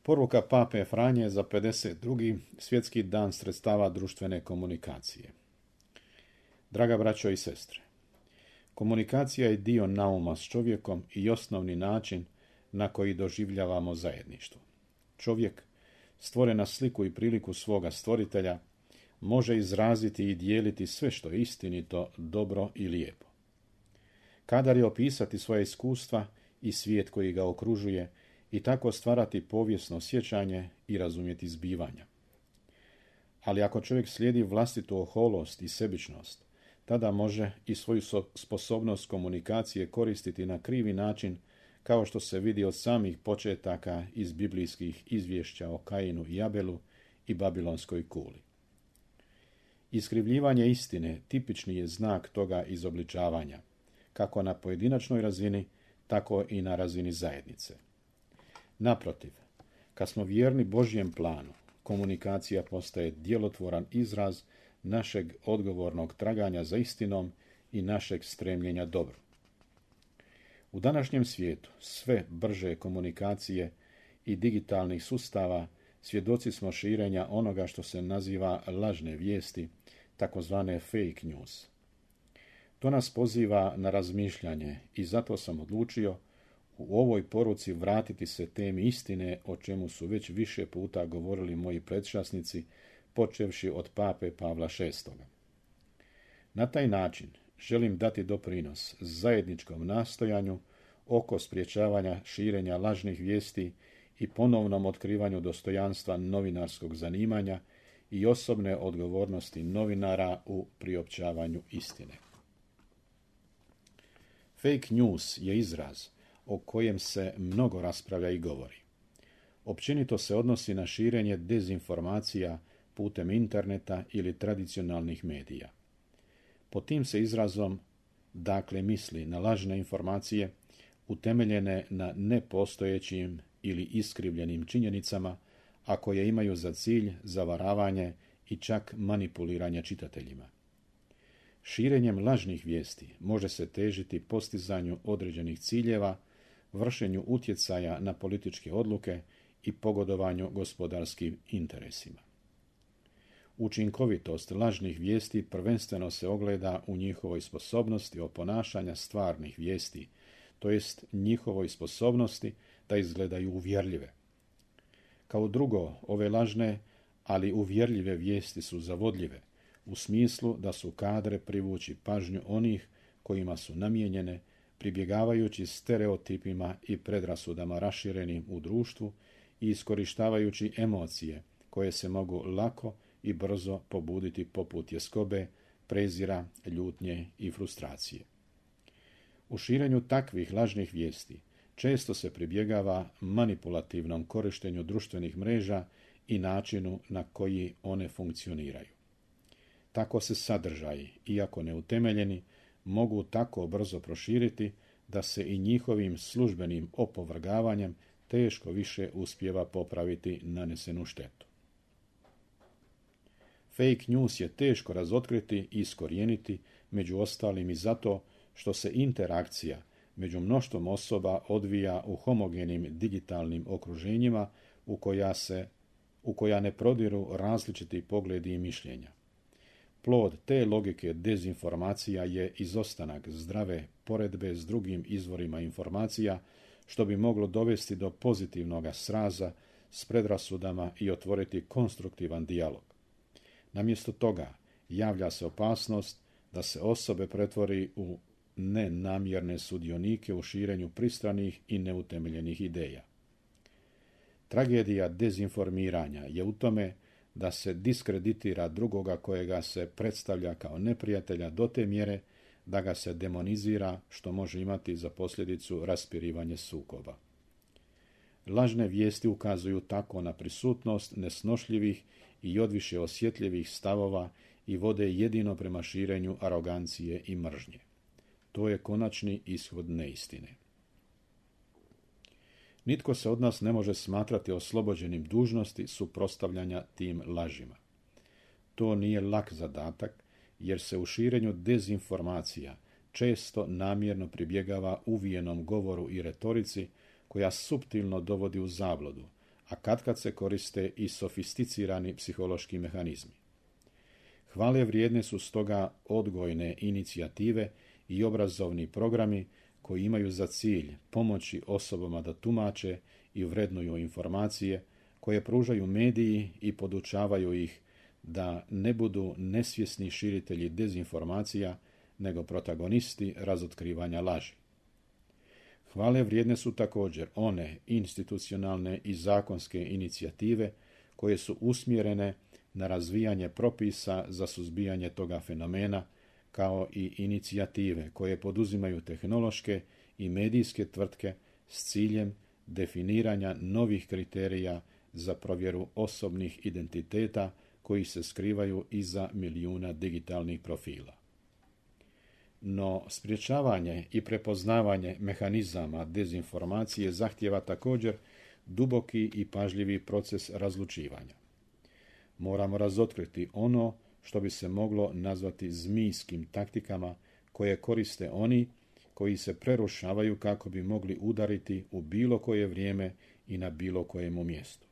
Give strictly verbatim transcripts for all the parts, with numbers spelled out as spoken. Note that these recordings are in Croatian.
Poruka pape Franje za pedeset drugi svjetski dan sredstava društvene komunikacije. Draga braćo i sestre, komunikacija je dio nauma s čovjekom i osnovni način na koji doživljavamo zajedništvo. Čovjek, stvoren na sliku i priliku svoga stvoritelja, može izraziti i dijeliti sve što je istinito, dobro i lijepo. Kadar je opisati svoje iskustva i svijet koji ga okružuje i tako stvarati povijesno sjećanje i razumjeti zbivanja. Ali ako čovjek slijedi vlastitu oholost i sebičnost, tada može i svoju sposobnost komunikacije koristiti na krivi način, kao što se vidi od samih početaka iz biblijskih izvješća o Kainu i Abelu i Babilonskoj kuli. Iskrivljivanje istine tipični je znak toga izobličavanja, kako na pojedinačnoj razini, tako i na razini zajednice. Naprotiv, kad smo vjerni Božjem planu, komunikacija postaje djelotvoran izraz našeg odgovornog traganja za istinom i našeg stremljenja dobru. U današnjem svijetu sve brže komunikacije i digitalnih sustava svjedoci smo širenja onoga što se naziva lažne vijesti, takozvane fake news. To nas poziva na razmišljanje i zato sam odlučio u ovoj poruci vratiti se temi istine, o čemu su već više puta govorili moji predšasnici, počevši od pape Pavla šestoga. Na taj način želim dati doprinos zajedničkom nastojanju oko sprječavanja širenja lažnih vijesti i ponovnom otkrivanju dostojanstva novinarskog zanimanja i osobne odgovornosti novinara u priopćavanju istine. Fake news je izraz o kojem se mnogo raspravlja i govori. Općenito se odnosi na širenje dezinformacija putem interneta ili tradicionalnih medija. Pod tim se izrazom dakle misli na lažne informacije utemeljene na nepostojećim ili iskrivljenim činjenicama, a koje imaju za cilj zavaravanje i čak manipuliranje čitateljima. Širenjem lažnih vijesti može se težiti postizanju određenih ciljeva, vršenju utjecaja na političke odluke i pogodovanju gospodarskim interesima. Učinkovitost lažnih vijesti prvenstveno se ogleda u njihovoj sposobnosti oponašanja stvarnih vijesti, to jest njihovoj sposobnosti da izgledaju uvjerljive. Kao drugo, ove lažne, ali uvjerljive vijesti su zavodljive, u smislu da su kadre privući pažnju onih kojima su namijenjene, pribjegavajući stereotipima i predrasudama raširenim u društvu i iskorištavajući emocije koje se mogu lako i brzo pobuditi poput tjeskobe, prezira, ljutnje i frustracije. U širenju takvih lažnih vijesti često se pribjegava manipulativnom korištenju društvenih mreža i načinu na koji one funkcioniraju. Tako se sadržaji, iako neutemeljeni, mogu tako brzo proširiti da se i njihovim službenim opovrgavanjem teško više uspijeva popraviti nanesenu štetu. Fake news je teško razotkriti i iskorijeniti, među ostalim i zato što se interakcija među mnoštvom osoba odvija u homogenim digitalnim okruženjima u koja, se, u koja ne prodiru različiti pogledi i mišljenja. Plod te logike dezinformacija je izostanak zdrave poredbe s drugim izvorima informacija, što bi moglo dovesti do pozitivnog sraza s predrasudama i otvoriti konstruktivan dijalog. Namjesto toga javlja se opasnost da se osobe pretvori u nenamjerne sudionike u širenju pristranih i neutemeljenih ideja. Tragedija dezinformiranja je u tome da se diskreditira drugoga kojega se predstavlja kao neprijatelja do te mjere da ga se demonizira, što može imati za posljedicu raspirivanje sukoba. Lažne vijesti ukazuju tako na prisutnost nesnošljivih i odviše osjetljivih stavova i vode jedino prema širenju arogancije i mržnje. To je konačni ishod neistine. Nitko se od nas ne može smatrati oslobođenim dužnosti suprotstavljanja tim lažima. To nije lak zadatak, jer se u širenju dezinformacija često namjerno pribjegava uvijenom govoru i retorici koja suptilno dovodi u zabludu, a katkad se koriste i sofisticirani psihološki mehanizmi. Hvale vrijedne su stoga odgojne inicijative i obrazovni programi koji imaju za cilj pomoći osobama da tumače i vrednuju informacije koje pružaju mediji i podučavaju ih da ne budu nesvjesni širitelji dezinformacija, nego protagonisti razotkrivanja laži. Hvale vrijedne su također one institucionalne i zakonske inicijative koje su usmjerene na razvijanje propisa za suzbijanje toga fenomena, kao i inicijative koje poduzimaju tehnološke i medijske tvrtke s ciljem definiranja novih kriterija za provjeru osobnih identiteta koji se skrivaju iza milijuna digitalnih profila. No, sprječavanje i prepoznavanje mehanizama dezinformacije zahtijeva također duboki i pažljivi proces razlučivanja. Moramo razotkriti ono što bi se moglo nazvati zmijskim taktikama koje koriste oni koji se prerušavaju kako bi mogli udariti u bilo koje vrijeme i na bilo kojemu mjestu.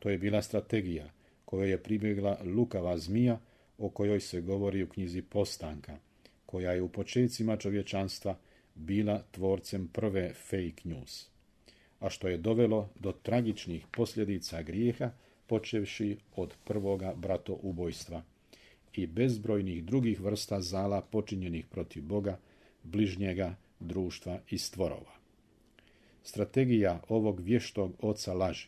To je bila strategija kojoj je pribjegla lukava zmija o kojoj se govori u knjizi Postanka, koja je u počecima čovječanstva bila tvorcem prve fake news, a što je dovelo do tragičnih posljedica grijeha, počevši od prvoga bratoubojstva i bezbrojnih drugih vrsta zala počinjenih protiv Boga, bližnjega, društva i stvorova. Strategija ovog vještog oca laži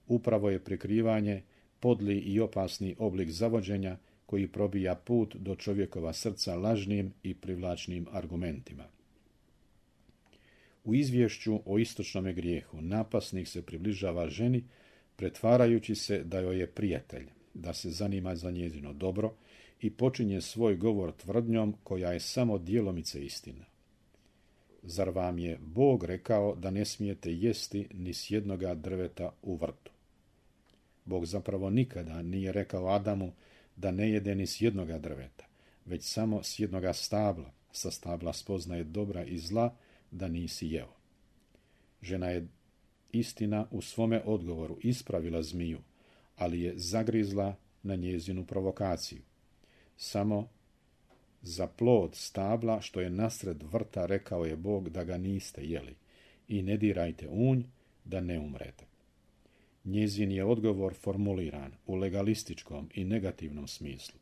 upravo je prikrivanje, podli i opasni oblik zavođenja koji probija put do čovjekova srca lažnim i privlačnim argumentima. U izvješću o istočnome grijehu napasnik se približava ženi, pretvarajući se da joj je prijatelj, da se zanima za njezino dobro i počinje svoj govor tvrdnjom koja je samo djelomice istina. Zar vam je Bog rekao da ne smijete jesti ni s jednoga drveta u vrtu? Bog zapravo nikada nije rekao Adamu da ne jede ni s jednoga drveta, već samo s jednoga stabla, sa stabla spoznaje dobra i zla, da nisi jeo. Žena je, istina, u svome odgovoru ispravila zmiju, ali je zagrizla na njezinu provokaciju. Samo za plod stabla što je nasred vrta rekao je Bog da ga niste jeli i ne dirajte unj da ne umrete. Njezin je odgovor formuliran u legalističkom i negativnom smislu.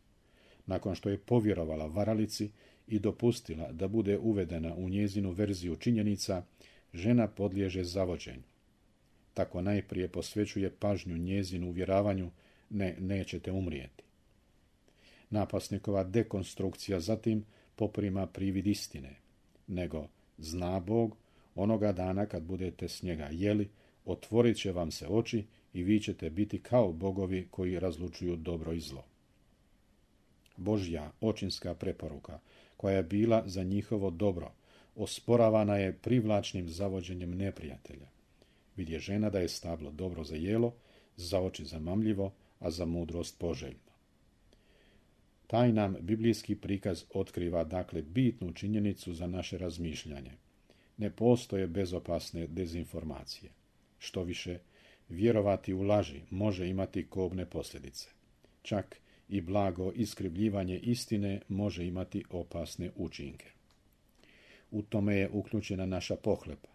Nakon što je povjerovala varalici i dopustila da bude uvedena u njezinu verziju činjenica, žena podliježe zavođenju. Tako najprije posvećuje pažnju njezinu uvjeravanju ne, nećete umrijeti. Napasnikova dekonstrukcija zatim poprima privid istine, nego zna Bog, onoga dana kad budete s njega jeli, otvorit će vam se oči i vi ćete biti kao bogovi koji razlučuju dobro i zlo. Božja očinska preporuka, koja je bila za njihovo dobro, osporavana je privlačnim zavođenjem neprijatelja. Vidje žena da je stablo dobro za jelo, za oči zamamljivo, a za mudrost poželjno. Taj nam biblijski prikaz otkriva dakle bitnu činjenicu za naše razmišljanje. Ne postoje bezopasne dezinformacije. Što više, vjerovati u laži može imati kobne posljedice. Čak i blago iskrivljivanje istine može imati opasne učinke. U tome je uključena naša pohlepa.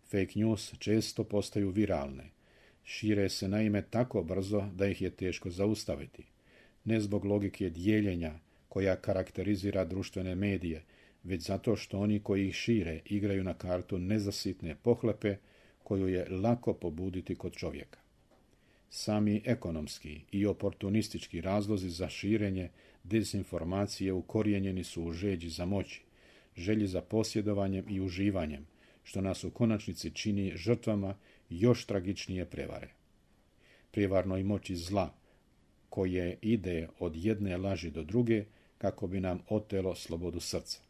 Fake news često postaju viralne. Šire se naime tako brzo da ih je teško zaustaviti. Ne zbog logike dijeljenja koja karakterizira društvene medije, već zato što oni koji ih šire igraju na kartu nezasitne pohlepe koju je lako pobuditi kod čovjeka. Sami ekonomski i oportunistički razlozi za širenje dezinformacije ukorijenjeni su u žeđi za moći, želji za posjedovanjem i uživanjem, što nas u konačnici čini žrtvama još tragičnije prevare. Prijevarnoj moći zla, koje ide od jedne laži do druge kako bi nam otelo slobodu srca.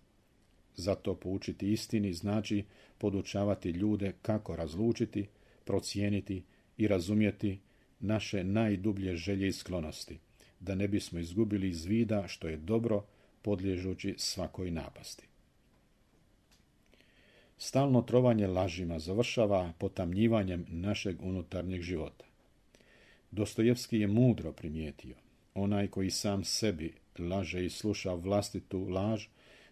Zato poučiti istini znači podučavati ljude kako razlučiti, procijeniti i razumjeti naše najdublje želje i sklonosti, da ne bismo izgubili iz vida što je dobro podliježući svakoj napasti. Stalno trovanje lažima završava potamnjivanjem našeg unutarnjeg života. Dostojevski je mudro primijetio: onaj koji sam sebi laže i sluša vlastitu laž,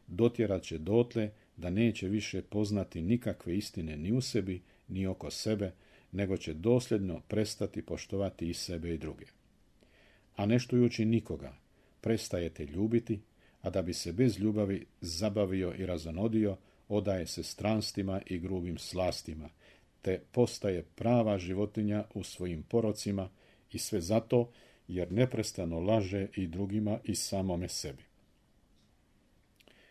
dotjerat će dotle da neće više poznati nikakve istine ni u sebi, ni oko sebe, nego će dosljedno prestati poštovati i sebe i druge. A ne štujući nikoga, prestajete ljubiti, a da bi se bez ljubavi zabavio i razonodio, odaje se stranstima i grubim slastima, te postaje prava životinja u svojim porocima, i sve zato jer neprestano laže i drugima i samome sebi.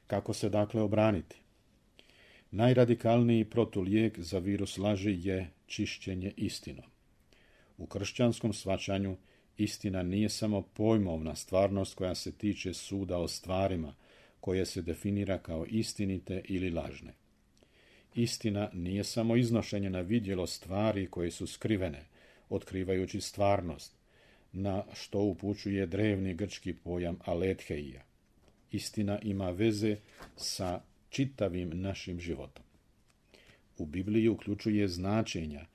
Kako se dakle obraniti? Najradikalniji protulijek za virus laži je čišćenje istinom. U kršćanskom shvaćanju istina nije samo pojmovna stvarnost koja se tiče suda o stvarima, koje se definira kao istinite ili lažne. Istina nije samo iznošenje na vidjelo stvari koje su skrivene, otkrivajući stvarnost, na što upućuje drevni grčki pojam aletheia. Istina ima veze sa čitavim našim životom. U Bibliji uključuje značenja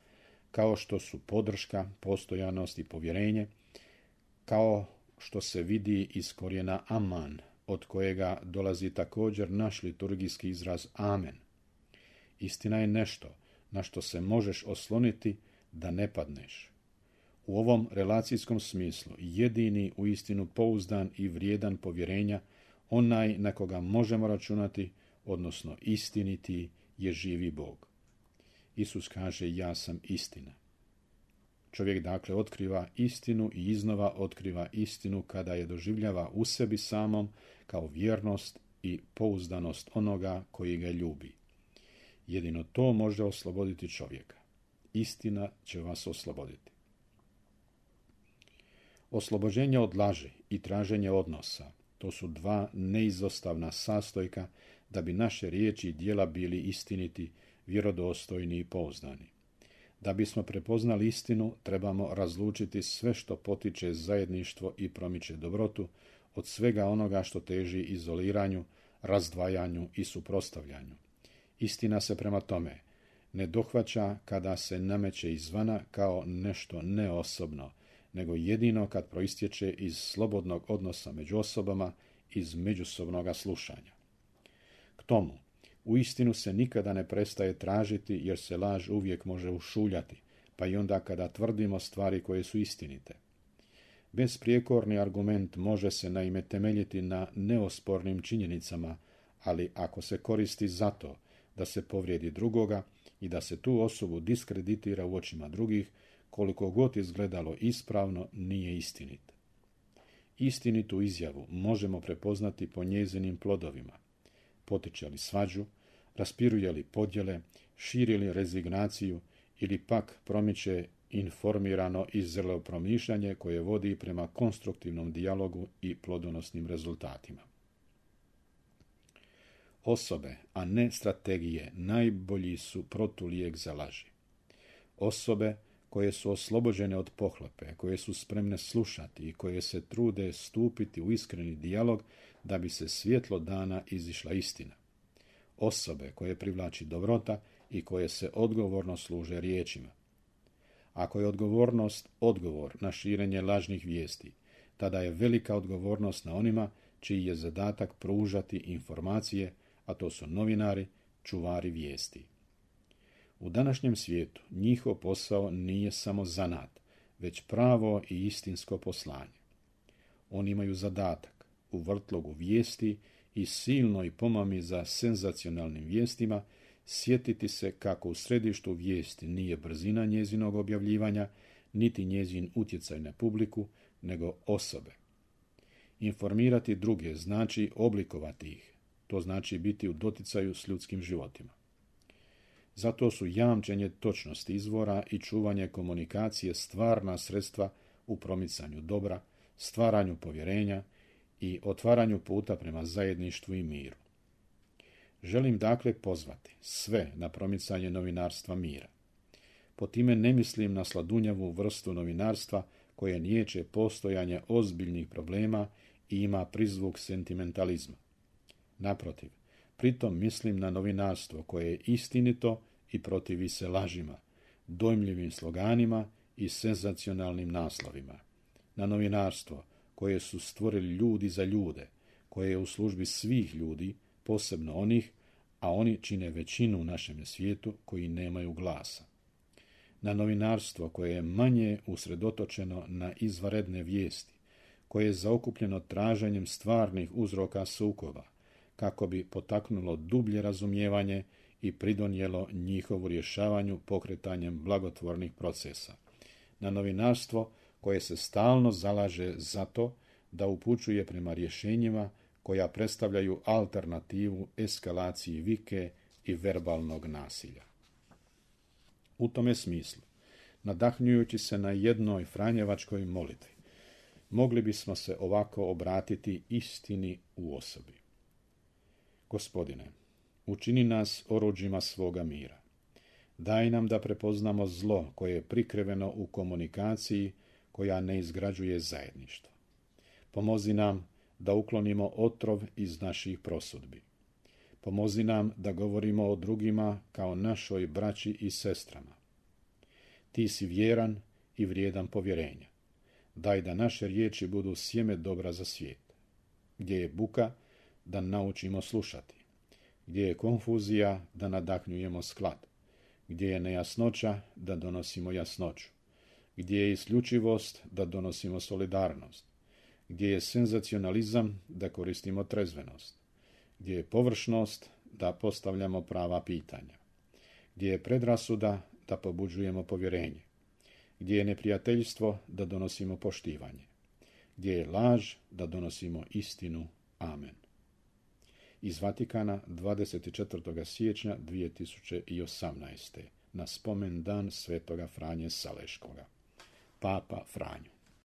kao što su podrška, postojanost i povjerenje, kao što se vidi iz korijena aman, od kojega dolazi također naš liturgijski izraz amen. Istina je nešto na što se možeš osloniti da ne padneš. U ovom relacijskom smislu jedini uistinu pouzdan i vrijedan povjerenja, onaj na koga možemo računati, odnosno istiniti, je živi Bog. Isus kaže: ja sam istina. Čovjek dakle otkriva istinu i iznova otkriva istinu kada je doživljava u sebi samom kao vjernost i pouzdanost onoga koji ga ljubi. Jedino to može osloboditi čovjeka. Istina će vas osloboditi. Oslobođenje od laži i traženje odnosa, to su dva neizostavna sastojka da bi naše riječi i djela bili istiniti, vjerodostojni i pouzdani. Da bismo prepoznali istinu, trebamo razlučiti sve što potiče zajedništvo i promiče dobrotu od svega onoga što teži izoliranju, razdvajanju i suprotstavljanju. Istina se prema tome ne dohvaća kada se nameće izvana kao nešto neosobno, nego jedino kad proistječe iz slobodnog odnosa među osobama, iz međusobnoga slušanja. K tomu, uistinu se nikada ne prestaje tražiti, jer se laž uvijek može ušuljati, pa i onda kada tvrdimo stvari koje su istinite. Besprijekorni argument može se naime temeljiti na neospornim činjenicama, ali ako se koristi zato da se povrijedi drugoga i da se tu osobu diskreditira u očima drugih, koliko god izgledalo ispravno, nije istinit. Istinitu izjavu možemo prepoznati po njezinim plodovima. Potiče li svađu, raspiruje li podjele, širi li rezignaciju ili pak promiče informirano i zrelo promišljanje koje vodi prema konstruktivnom dijalogu i plodonosnim rezultatima. Osobe, a ne strategije, najbolji su protulijek za laži. Osobe koje su oslobođene od pohlepe, koje su spremne slušati i koje se trude stupiti u iskreni dijalog da bi se svjetlo dana izišla istina. Osobe koje privlači dobrota i koje se odgovorno služe riječima. Ako je odgovornost odgovor na širenje lažnih vijesti, tada je velika odgovornost na onima čiji je zadatak pružati informacije, a to su novinari, čuvari vijesti. U današnjem svijetu njihov posao nije samo zanat, već pravo i istinsko poslanje. Oni imaju zadatak u vrtlogu vijesti i silnoj pomami za senzacionalnim vijestima sjetiti se kako u središtu vijesti nije brzina njezinog objavljivanja, niti njezin utjecaj na publiku, nego osobe. Informirati druge znači oblikovati ih, to znači biti u doticaju s ljudskim životima. Zato su jamčenje točnosti izvora i čuvanje komunikacije stvarna sredstva u promicanju dobra, stvaranju povjerenja i otvaranju puta prema zajedništvu i miru. Želim dakle pozvati sve na promicanje novinarstva mira. Po time ne mislim na sladunjavu vrstu novinarstva koje niječe postojanje ozbiljnih problema i ima prizvuk sentimentalizma. Naprotiv, Pritom mislim na novinarstvo koje je istinito i protivi se lažima, dojmljivim sloganima i senzacionalnim naslovima. Na novinarstvo koje su stvorili ljudi za ljude, koje je u službi svih ljudi, posebno onih, a oni čine većinu u našem svijetu koji nemaju glasa. Na novinarstvo koje je manje usredotočeno na izvanredne vijesti, koje je zaokupljeno traženjem stvarnih uzroka sukoba, kako bi potaknulo dublje razumijevanje i pridonijelo njihovu rješavanju pokretanjem blagotvornih procesa. Na novinarstvo koje se stalno zalaže za to da upućuje prema rješenjima koja predstavljaju alternativu eskalaciji vike i verbalnog nasilja. U tome smislu, nadahnjujući se na jednoj franjevačkoj molitvi, mogli bismo se ovako obratiti istini u osobi. Gospodine, učini nas oruđima svoga mira. Daj nam da prepoznamo zlo koje je prikriveno u komunikaciji koja ne izgrađuje zajedništvo. Pomozi nam da uklonimo otrov iz naših prosudbi. Pomozi nam da govorimo o drugima kao našoj braći i sestrama. Ti si vjeran i vrijedan povjerenja. Daj da naše riječi budu sjeme dobra za svijet. Gdje je buka, da naučimo slušati. Gdje je konfuzija, da nadahnjujemo sklad. Gdje je nejasnoća, da donosimo jasnoću. Gdje je isključivost, da donosimo solidarnost. Gdje je senzacionalizam, da koristimo trezvenost. Gdje je površnost, da postavljamo prava pitanja. Gdje je predrasuda, da pobuđujemo povjerenje. Gdje je neprijateljstvo, da donosimo poštivanje. Gdje je laž, da donosimo istinu. Amen. Iz Vatikana, dvadeset četvrtog siječnja dvije tisuće osamnaeste. Na spomen dan svetoga Franje Saleškoga. Papa Franjo.